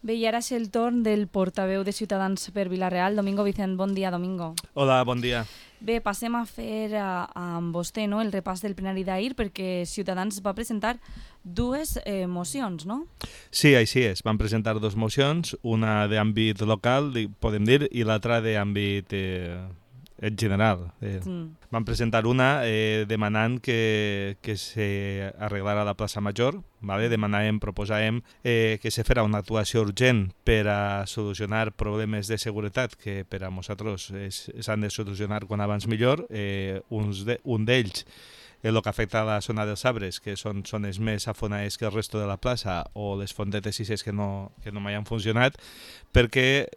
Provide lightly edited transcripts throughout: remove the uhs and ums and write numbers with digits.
Bé, i ara és el torn del portaveu de Ciutadans per Vila-real, Domingo Vicent. Bon dia, Domingo. Hola, bon dia. Bé, passem a fer amb vostè el repàs del plenari d'ahir, perquè Ciutadans va presentar dues mocions, no? Sí, així és. Van presentar dues mocions, una d'àmbit local, podem dir, i l'altra d'àmbit en general. Van presentar una demanant que s'arreglara la plaça Major, ¿vale? Proposàvem que se fera una actuació urgent per a solucionar problemes de seguretat que per a nosaltres s'han de solucionar quan abans millor. Un d'ells el que afecta a la zona dels arbres, que són zones més afonades que el resto de la plaça, o les fondetes sis que no mai han funcionat, perquè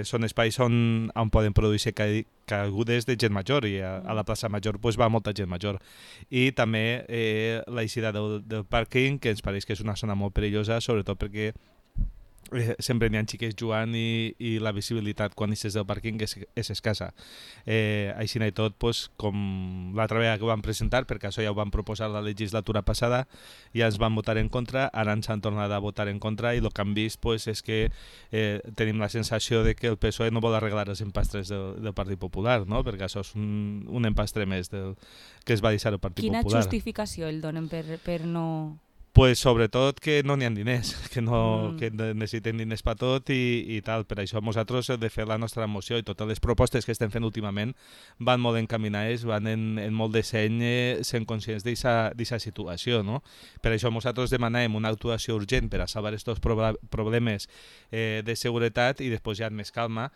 són espais on poden produir-se caigudes de gent major, i a la plaça Major va molta gent major. I també l'eixida del pàrquing, que ens pareix que és una zona molt perillosa, sobretot perquè sempre n'hi ha xiquets jugant i la visibilitat quan eixes del pàrquing és escassa. Així i tot, com l'altra vegada que ho vam presentar, perquè això ja ho vam proposar la legislatura passada, ja ens van votar en contra, ara ens han tornat a votar en contra, i el que han vist és que tenim la sensació de que el PSOE no vol arreglar els empastres del Partit Popular, no? Perquè això és un empastre més que es va deixar el Partit Popular. Quina justificació el donen per no... Sobretot que no n'hi ha diners, que necessiten diners per tot i tal. Per això nosaltres hem de fer la nostra moció, i totes les propostes que estem fent últimament van molt encaminades, van en molt de seny, sent conscients d'aquesta situació, no? Per això nosaltres demanem una actuació urgent per a salvar aquests problemes de seguretat, i després ja amb més calma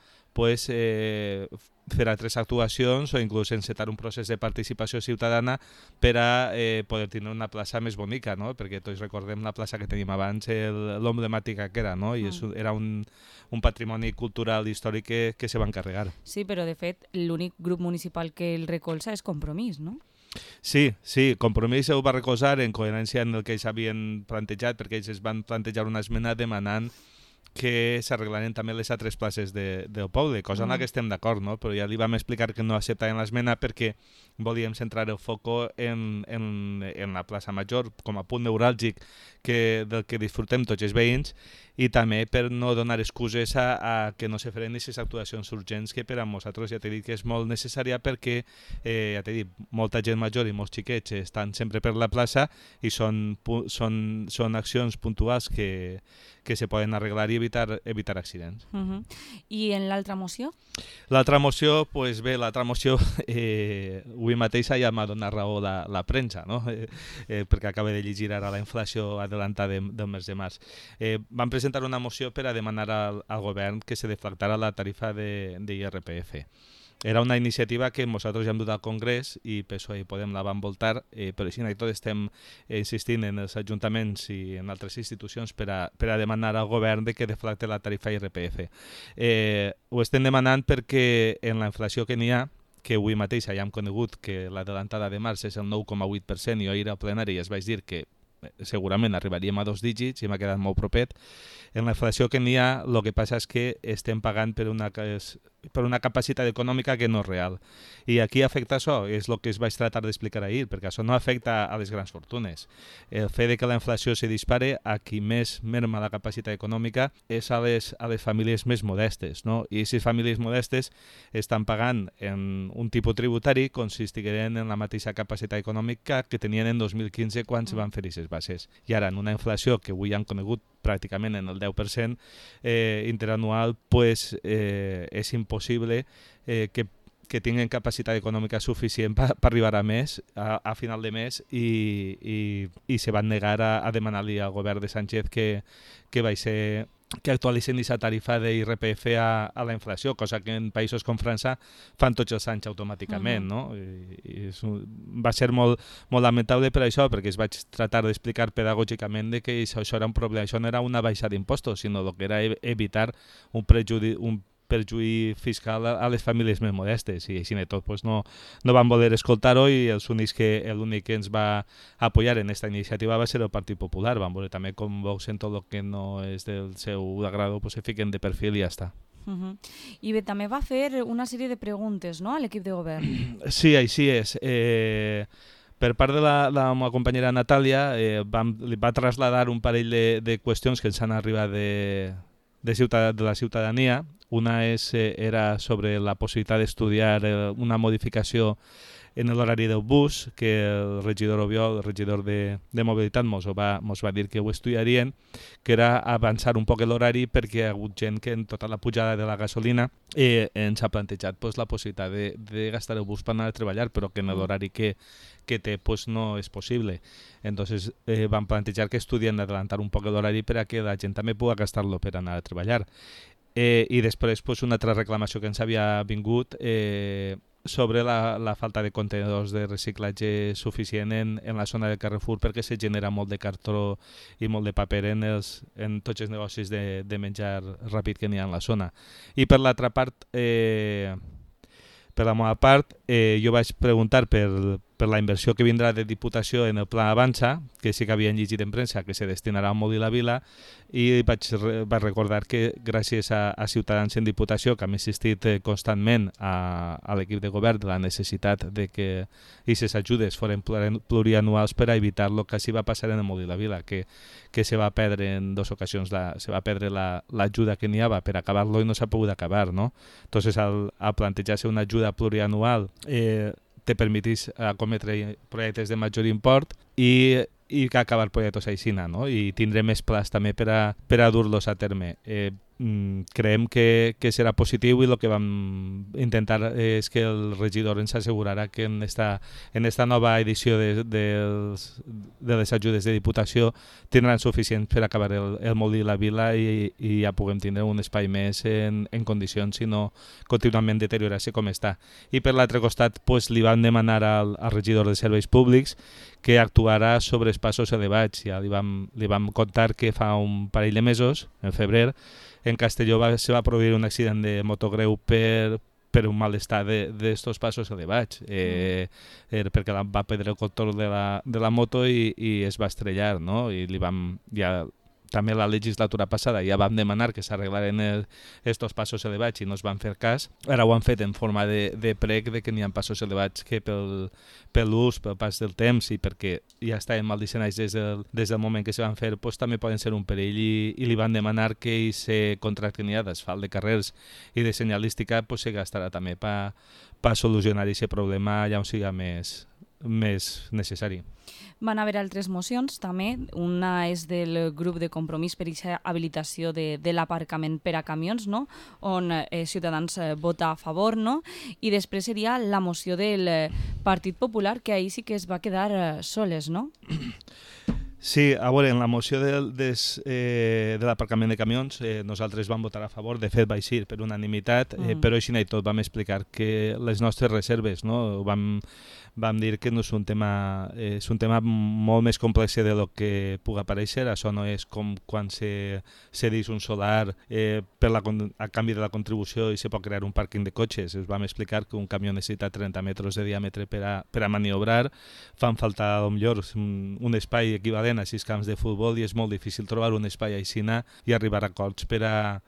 fer altres actuacions o inclús encetar un procés de participació ciutadana per a poder tenir una plaça més bonica, no? Perquè tots recordem la plaça que tenim abans, l'emblemàtica que era, no? I era un patrimoni cultural i històric que se va encarregar. Sí, però de fet l'únic grup municipal que el recolza és Compromís, no? Sí, Compromís ho va recolzar en coherència amb el que ells havien plantejat, perquè ells es van plantejar una esmena demanant que s'arreglaren també les altres places del poble, cosa en la que estem d'acord, no? Però ja li vam explicar que no acceptaven l'esmena perquè volíem centrar el foco en la plaça Major com a punt neuràlgic del que disfrutem tots els veïns, i també per no donar excuses a que no se feren aquestes actuacions urgents que per a nosaltres ja t'he dit que és molt necessària, perquè ja t'he dit, molta gent major i molts xiquets estan sempre per la plaça i són accions puntuals que se poden arreglar i evitar accidents. I en l'altra moció? L'altra moció, l'altra moció avui mateix ja m'ha donat raó la premsa, no? Perquè acaba de llegir ara la inflació adelantada del mes de març. Vam presentar una moció per a demanar al govern que se deflactara la tarifa d'IRPF. Era una iniciativa que nosaltres ja hem dut al Congrés i PSOE i Podem la van voltar, però així i tot estem insistint en els ajuntaments i en altres institucions per a demanar al govern que deflacte la tarifa IRPF. Ho estem demanant perquè en la inflació que n'hi ha, que avui mateix ja hem conegut que l'adelantada de març és el 9,8%, i ahir al plenari es vaig dir que segurament arribaríem a 2 dígits i m'ha quedat molt propet. En la inflació que n'hi ha, el que passa és que estem pagant per una capacitat econòmica que no és real. I aquí afecta això, és el que es vaig tratar d'explicar ahir, perquè això no afecta a les grans fortunes. El fet de que la inflació se dispare, a qui més merma la capacitat econòmica és a les famílies més modestes, no? I aquestes famílies modestes estan pagant en un tipus tributari com si estigueren en la mateixa capacitat econòmica que tenien en 2015 quan se van fer aquestes bases. I ara, en una inflació que avui han conegut pràcticament en el 10% interanual, és impossible que tinguin capacitat econòmica suficient per arribar a més a final de mes, i se van negar a demanar-li al govern de Sánchez que actualitzen aquesta tarifa d'IRPF a la inflació, cosa que en països com França fan tots els anys automàticament, no? I va ser molt lamentable per això, perquè es vaig tratar d'explicar pedagògicament que això era un problema, això no era una baixa d'impostos, sinó que era evitar un perjuí fiscal a les famílies més modestes, i així de tot no van voler escoltar-ho, i l'únic que ens va apoyar en aquesta iniciativa va ser el Partit Popular. Van veure també com Vox en tot el que no és del seu agrado se fiquen de perfil i ja està. I bé, també va fer una sèrie de preguntes, no?, a l'equip de govern. Sí, així és. Per part de la meva companyera Natàlia, li va traslladar un parell de qüestions que ens han arribat de la ciutadania. Una era sobre la possibilitat d'estudiar una modificació en l'horari del bus, que el regidor Obiol, el regidor de mobilitat, mos va dir que ho estudiarien, que era avançar un poc l'horari perquè hi ha hagut gent que en tota la pujada de la gasolina ens ha plantejat la possibilitat de gastar el bus per anar a treballar, però que en l'horari que té no és possible. Entonces van plantejar que estudien d'adelantar un poc l'horari per a que la gent també pugui gastar-lo per anar a treballar. I després una altra reclamació que ens havia vingut sobre la falta de contenedors de reciclatge suficient en la zona del Carrefour, perquè se genera molt de cartró i molt de paper en tots els negocis de menjar ràpid que n'hi ha en la zona. I per l'altra part, per la meva part, jo vaig preguntar per la inversió que vindrà de Diputació en el Pla Avança, que sí que havien llegit en premsa que se destinarà a Molí la Vila, i vaig recordar que gràcies a Ciutadans en Diputació, que hem insistit constantment a l'equip de govern de la necessitat de que aquestes ajudes foren plurianuals per a evitar el que s'hi va passar en el Molí la Vila, que se va perdre en dues ocasions, se va perdre l'ajuda que n'hi havia per acabar-lo i no s'ha pogut acabar, no? Entonces, al plantejar-se una ajuda plurianual, te permetís acometre projectes de major import i que acabar projectes així, no? I tindré més plaç també per a dur-los a terme. Creiem que serà positiu i el que vam intentar és que el regidor ens assegurarà que en esta nova edició de les ajudes de Diputació tindran suficients per acabar el Molí la Vila i ja puguem tindre un espai més en condicions i no contínuament deteriorar-se com està. I per l'altre costat li van demanar al regidor de Serveis Públics que actuarà sobre els passos elevats. Ja li vam contar que fa un parell de mesos, en febrer, en Castelló se va produir un accident de moto greu per un mal estat d'estos passos elevats, perquè va perdre el control de la moto i es va estrellar, no? I també la legislatura passada ja vam demanar que s'arreglaren estos passos elevats i no es van fer cas. Ara ho han fet en forma de prec de que n'hi ha passos elevats que pel l'ús, pel pas del temps i perquè ja estaven mal dissenyats des del moment que se van fer, també poden ser un perill i li van demanar que aquest contracte n'hi ha d'asfalt de carrers i de senyalística se gastarà també per solucionar aquest problema allà on siga més necessari. Van haver altres mocions també, una és del grup de compromís per aquesta habilitació de l'aparcament per a camions, no? On Ciutadans vota a favor, no? I després seria la moció del Partit Popular, que ahir sí que es va quedar soles, no? Sí, a veure, en la moció de l'aparcament de camions nosaltres vam votar a favor, de fet va eixir per unanimitat, però així i tot vam explicar que les nostres reserves, no? Vam dir que no és un tema molt més complex de lo que pugui aparèixer. Això no és com quan se cedeix un solar a canvi de la contribució i se pot crear un pàrquing de cotxes. Us vam explicar que un camió necessita 30 metres de diàmetre per a maniobrar. Fan falta potser un espai equivalent a 6 camps de futbol i és molt difícil trobar un espai així i arribar a acords per a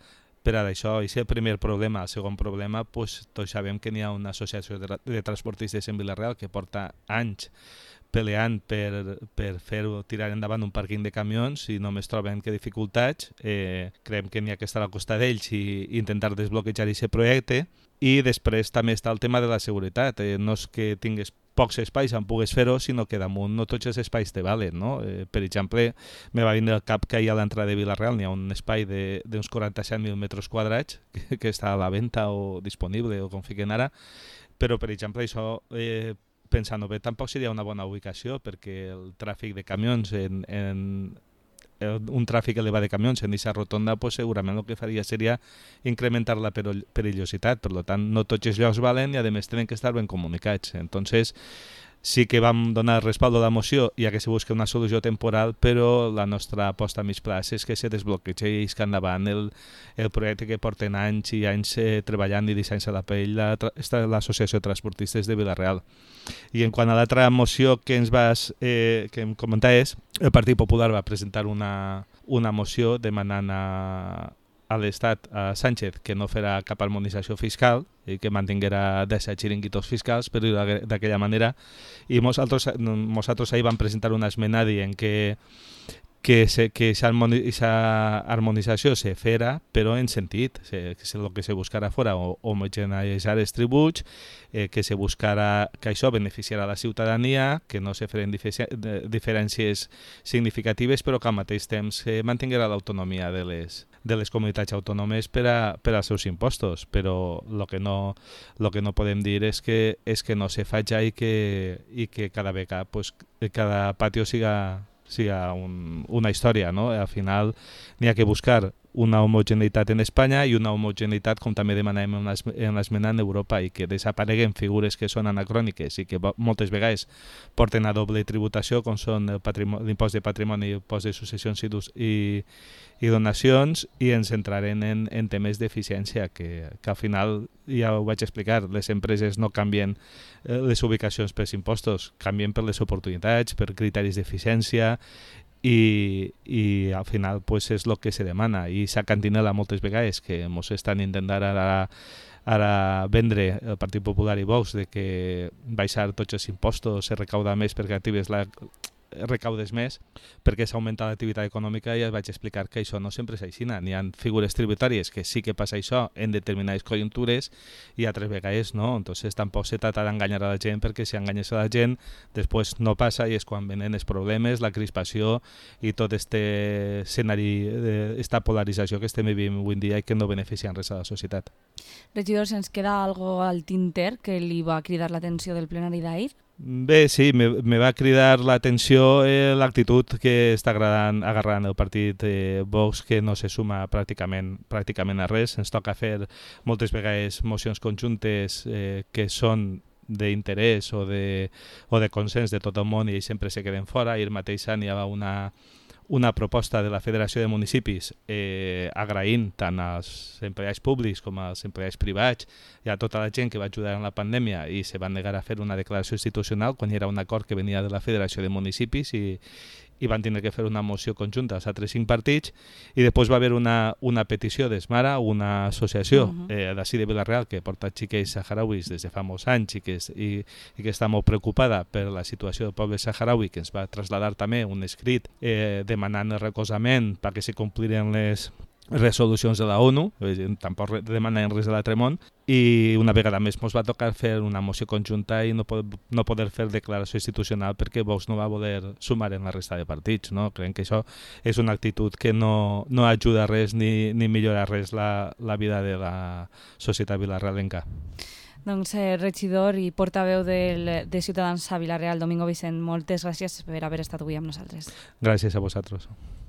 això. I és el primer problema. El segon problema, tots sabem que n'hi ha una associació de transportistes en Vila-real que porta anys peleant per tirar endavant un pàrquing de camions i només troben que dificultats. Creiem que n'hi ha que estar al costat d'ells i intentar desbloquejar aquest projecte. I després també està el tema de la seguretat. No és que tingués pocs espais on pugues fer-ho, sinó que damunt no tots els espais te valen, no? Per exemple, me va vindre al cap que a l'entrada de Vila-real n'hi ha un espai d'uns 47.000 metres quadrats que està a la venda o disponible o com fiquen ara, però per exemple això, pensant-ho bé, tampoc seria una bona ubicació perquè el tràfic de camions un tràfic elevat de camions en aquesta rotonda, segurament el que faria seria incrementar la perillositat. Per tant, no tots els llocs valen i a més tenen que estar ben comunicats. Entonces, sí que vam donar respaldo a la moció ja que se busca una solució temporal, però la nostra aposta a mig plaç és que se desbloquegi i isca endavant el projecte que porten anys i anys treballant i deixant-se la pell l'Associació de Transportistes de Vila-real. I en quant a l'altra moció que em comentaves, el Partit Popular va presentar una moció demanant a l'Estat, a Sánchez, que no farà cap harmonització fiscal i que mantinguera 17 xiringuitos fiscals, però d'aquella manera. I nosaltres ahir vam presentar una esmena dient que que aquesta harmonització se fera, però en sentit, que el que se buscarà fora homogeneitzar els tributs, que se buscarà que això beneficiarà la ciutadania, que no se feren diferències significatives, però que al mateix temps mantinguerà l'autonomia de les comunitats autònomes per als seus impostos, però el que no podem dir és que no se faci i que cada vegada pues, cada patio siga una història, no? Al final n'hi ha que buscar una homogeneïtat en Espanya i una homogeneïtat, com també demanem en l'esmena, en Europa, i que desapareguen figures que són anacròniques i que moltes vegades porten a doble tributació, com són l'impost de patrimoni, l'impost de successions i donacions, i ens centrarem en temes d'eficiència, que al final, ja ho vaig explicar, les empreses no canvien les ubicacions per impostos, canvien per les oportunitats, per criteris d'eficiència, i al final pues, és el que se demana, i s'ha cantinela moltes vegades que ens estan intentant ara vendre el Partit Popular i Vox de que baixar tots els impostos, se recauda més perquè recaudes més perquè s'augmenta l'activitat econòmica, i ja vaig explicar que això no sempre és així. N'hi ha figures tributàries que sí que passa això en determinades conjuntures i altres vegades no. Entonces tampoc se trata d'enganyar a la gent, perquè si enganyes a la gent després no passa, i és quan venen els problemes, la crispació i tot este escenari, esta polarització que estem vivint avui en dia i que no beneficien res a la societat. Regidor, se'ns queda algo al tinter que li va cridar l'atenció del plenari d'ahir? Bé, sí, me va cridar l'atenció l'actitud que està agarrant el partit Vox, que no se suma pràcticament a res. Ens toca fer moltes vegades mocions conjuntes que són d'interès o de consens de tot el món, i ells sempre se queden fora. Ahir mateix hi havia una proposta de la Federació de Municipis agraint tant als empleats públics com als empleats privats i a tota la gent que va ajudar en la pandèmia, i se van negar a fer una declaració institucional quan hi era un acord que venia de la Federació de Municipis, i van tenir que fer una moció conjunta als altres 5 partits, i després va haver una petició d'Esmara, una associació d'ací de Vila-real que porta xiquets saharauis des de fa molts anys i que està molt preocupada per la situació del poble saharaui, que ens va traslladar també un escrit demanant el recolzament perquè se compliren les resolucions de la ONU, tampoc demanen res de l'altre món, i una vegada més ens va tocar fer una moció conjunta i no poder fer declaració institucional perquè Vox no va voler sumar en la resta de partits. No? Creiem que això és una actitud que no ajuda a res ni millora res la vida de la societat vilarealenca. Doncs regidor i portaveu de Ciutadans a Vila-real, Domingo Vicent, moltes gràcies per haver estat avui amb nosaltres. Gràcies a vosaltres.